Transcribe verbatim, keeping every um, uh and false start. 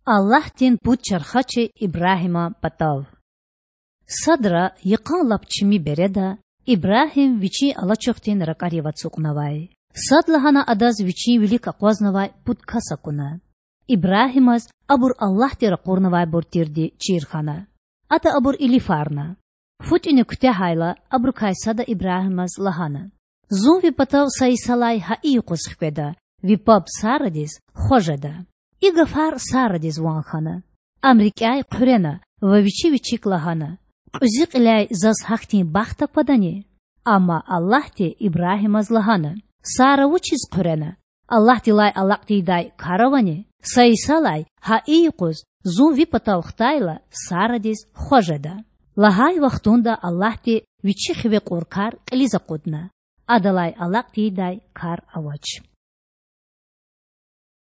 Аллагьдин пуд чархачи Ибрагьиман патав. Садра, йикъан лап чими береда, Ибрагьим вичин алачухдин ракІарив ацукьнавай. Садлагьана адаз вичин вилик акъвазнавай пуд кас акуна. Ибрагьимаз абур Аллагьди ракъурнавайбур тирди чир хьана. Ада абур илифарна. Фу тІуьна куьтягьайла, абурукай сада Ибрагьимаз лагьана: Зун ви патав са йисалай гьа и юкъуз хкведа, ви паб Сарадиз хва жеда. И гафар Сарадиз ван хьана. Ам рикІяй хъуьрена ва вичи вичик лагьана: Кьуьзуь кьиляй заз гьахьтин бахт аквадани? Амма Аллагьди Ибрагьимаз лагьана: Сара вучиз хъуьрена? Аллагьдилай алакь тийидай кар авани? Са йисалай гьа и юкъуз зун ви патав хтайла, Сарадиз хва жеда. Лагьай вахтунда Аллагьди Вичи хиве кьур кар кьилиз акъудна. Адалай алакь тийидай кар авач.